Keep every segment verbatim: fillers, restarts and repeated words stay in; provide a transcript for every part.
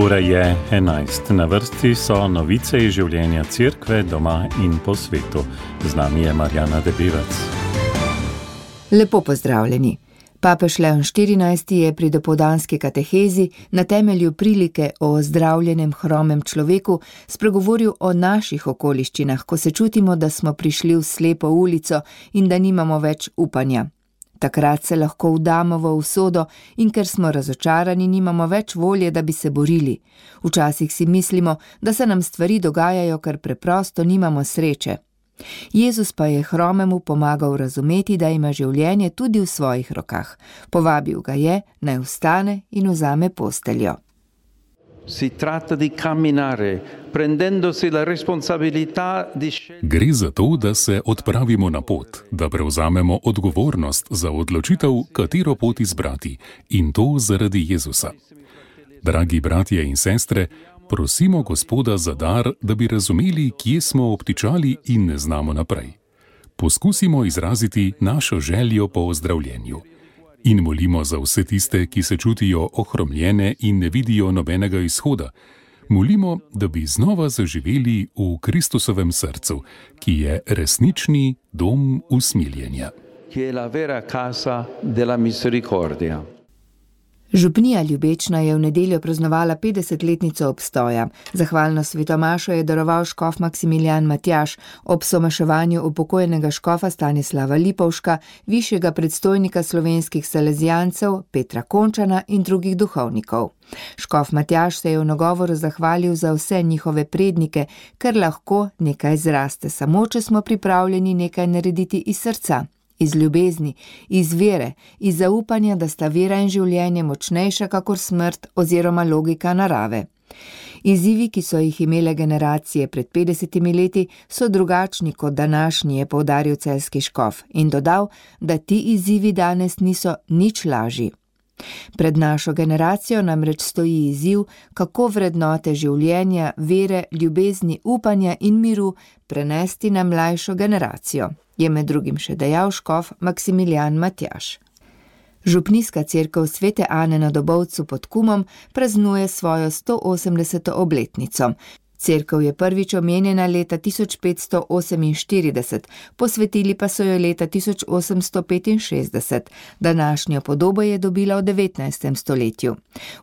Ura je enajst. Na vrsti so novice iz življenja cerkve doma in po svetu. Z nami je Marjana Debevec. Lepo pozdravljeni. Papež Leon štirinajsti je pri dopoldanski katehezi na temelju prilike o ozdravljenem hromem človeku spregovoril o naših okoliščinah, ko se čutimo, da smo prišli v slepo ulico in da nimamo več upanja. Takrat se lahko vdamo v usodo in ker smo razočarani, nimamo več volje, da bi se borili. Včasih si mislimo, da se nam stvari dogajajo, ker preprosto nimamo sreče. Jezus pa je hromemu pomagal razumeti, da ima življenje tudi v svojih rokah. Povabil ga je, naj vstane in vzame posteljo. Si tratta di camminare, prendendosi la responsabilità di Gre za to, da se odpravimo na pot, da prevzamemo odgovornost za odločitev, katero pot izbrati, in to zaradi Jezusa. Dragi bratje in sestre, prosimo Gospoda za dar, da bi razumeli, kje smo obtičali in ne znamo naprej. Poskusimo izraziti našo željo po ozdravljenju. In molimo za vse tiste, ki se čutijo ohromljene in ne vidijo nobenega izhoda. Molimo, da bi znova zaživeli v Kristusovem srcu, ki je resnični dom usmiljenja. Che è la vera casa della misericordia. Župnija Ljubečna je v nedeljo praznovala petdesetletnico obstoja. Zahvalno svetomašo je daroval škof Maksimilijan Matjaž ob somaševanju upokojenega škofa Stanislava Lipovška, višjega predstojnika slovenskih salezijancev Petra Končana in drugih duhovnikov. Škof Matjaž se je v nagovoru zahvalil za vse njihove prednike, ker lahko nekaj zraste, samo če smo pripravljeni nekaj narediti iz srca. Iz ljubezni, iz vere, iz zaupanja, da sta vera in življenje močnejša kakor smrt oziroma logika narave. Izzivi, ki so jih imele generacije pred petdesetimi leti, so drugačni kot današnji, je poudaril celjski škof in dodal, da ti izzivi danes niso nič lažji. Pred našo generacijo namreč stoji izziv, kako vrednote življenja, vere, ljubezni, upanja in miru prenesti na mlajšo generacijo, je med drugim še dejal škof Maksimilijan Matjaž. Župnijska cerkev Svete Ane na Dobovcu pod Kumom praznuje svojo sto osemdeseto obletnico. Cerkev je prvič omenjena leta tisoč petsto oseminštirideset, posvetili pa so jo leta tisoč osemsto petinšestdeset. Današnjo podobo je dobila v devetnajstem stoletju.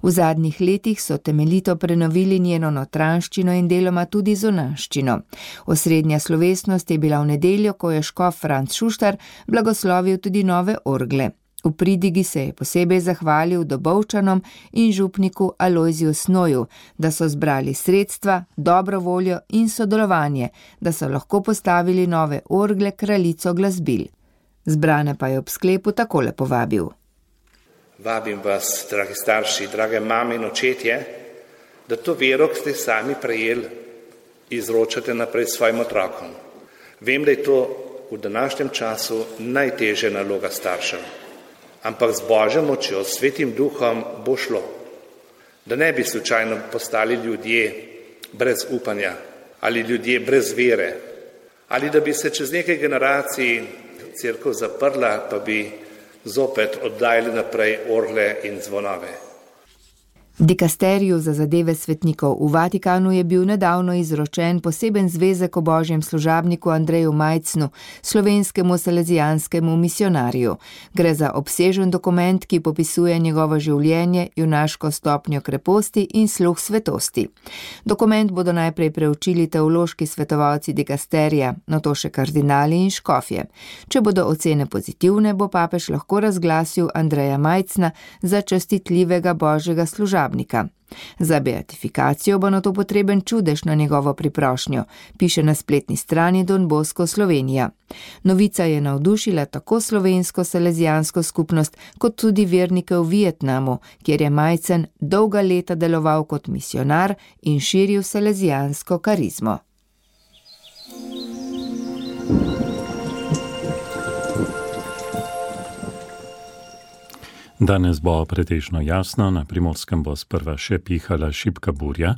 V zadnjih letih so temeljito prenovili njeno notranjščino in deloma tudi zunanjščino. Osrednja slovesnost je bila v nedeljo, ko je škof Franc Šuštar blagoslovil tudi nove orgle. V pridigi se je posebej zahvalil Dobovčanom in župniku Alojziju Snoju, da so zbrali sredstva, dobro voljo in sodelovanje, da so lahko postavili nove orgle kraljico glasbil. Zbrane pa je ob sklepu takole povabil. Vabim vas, dragi starši, drage mame in očetje, da to vero, ki ste sami prejeli, izročate naprej svojim otrokom. Vem, da je to v današnjem času najtežja naloga staršev. Ampak z Božjo močjo, s Svetim Duhom bo šlo. Da ne bi slučajno postali ljudje brez upanja ali ljudje brez vere, ali da bi se čez nekaj generacij cerkev zaprla, pa bi zopet oddajali naprej orgle in zvonove. Dikasteriju za zadeve svetnikov v Vatikanu je bil nedavno izročen poseben zvezek o božjem služabniku Andreju Majcnu, slovenskemu salezijanskemu misionarju. Gre za obsežen dokument, ki popisuje njegovo življenje, junaško stopnjo kreposti in sluh svetosti. Dokument bodo najprej preučili teološki svetovalci dikasterija, nato še kardinali in škofje. Če bodo ocene pozitivne, bo papež lahko razglasil Andreja Majcna za častitljivega božjega služabnika. Za beatifikacijo bo nato potreben čudež na njegovo priprošnjo, piše na spletni strani Don Bosco Slovenija. Novica je navdušila tako slovensko salezijansko skupnost, kot tudi vernike v Vietnamu, kjer je Majcen dolga leta deloval kot misionar in širil salezijansko karizmo. Danes bo pretežno jasno, na Primorskem bo sprva še pihala šibka burja,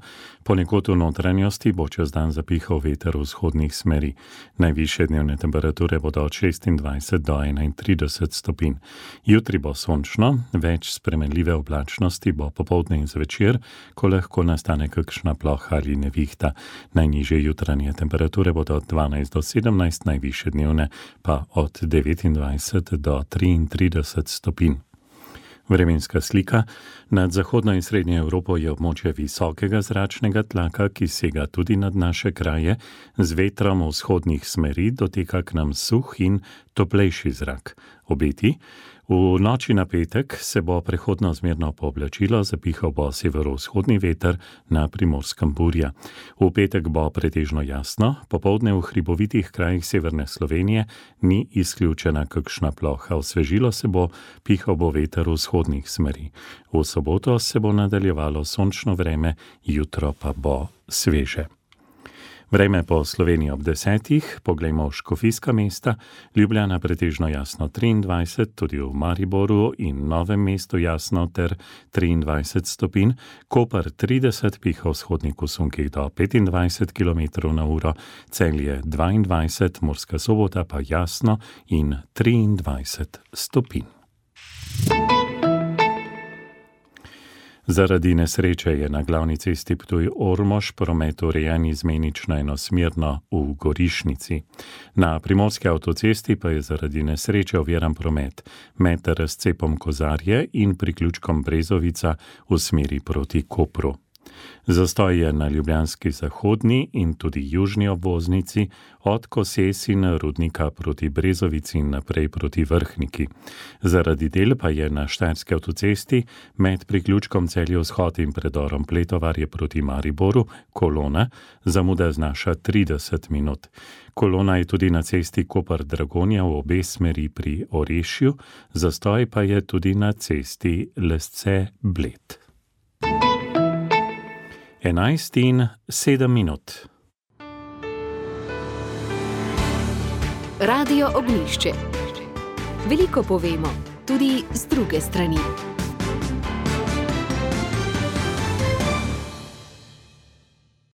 ponekod v notranjosti bo čez dan zapihal veter vzhodnih smeri. Najvišje dnevne temperature bodo od šestindvajset do enaintrideset stopinj. Jutri bo sončno, več spremenljive oblačnosti bo popoldne in zvečer, ko lahko nastane kakšna ploha ali nevihta. Najnižje jutranje temperature bodo od dvanajst do sedemnajst, najvišje dnevne pa od devetindvajset do triintrideset stopinj. Vremenska slika. Nad zahodno in srednjo Evropo je območje visokega zračnega tlaka, ki sega tudi nad naše kraje, z vetrom vzhodnih smeri doteka k nam suh in toplejši zrak. Obeti. V noči na petek se bo prehodno zmerno pooblačilo, zapihal bo severovzhodni veter, na Primorskem burja. V petek bo pretežno jasno, popoldne v hribovitih krajih severne Slovenije ni izključena kakšna ploha. Osvežilo se bo, pihal bo veter vzhodnih smeri. V soboto se bo nadaljevalo sončno vreme, jutro pa bo sveže. Vreme po Sloveniji ob desetih, poglejmo v škofijska mesta, Ljubljana pretežno jasno triindvajset, tudi v Mariboru in Novem mestu jasno ter triindvajset stopinj, Koper trideset, piha vzhodnik v sunkih do petindvajset kilometrov na uro, Celje dvaindvajset, Murska Sobota pa jasno in triindvajset stopinj. Zaradi nesreče je na glavni cesti Ptuj-Ormož promet urejen izmenično enosmerno v Gorišnici. Na primorski avtocesti pa je zaradi nesreče oviran promet med razcepom Kozarje in priključkom Brezovica v smeri proti Kopru. Zastoj je na ljubljanski zahodni in tudi južni obvoznici od Koses in Rudnika proti Brezovici in naprej proti Vrhniki. Zaradi del pa je na štajerski avtocesti med priključkom Celje vzhod in predorom Pletovarje proti Mariboru kolona, zamuda znaša trideset minut. Kolona je tudi na cesti Koper-Dragonja v obe smeri pri Orešju, zastoj pa je tudi na cesti Lesce-Bled. enajst in sedem minut. Radio Ognjišče. Veliko povemo, tudi z druge strani.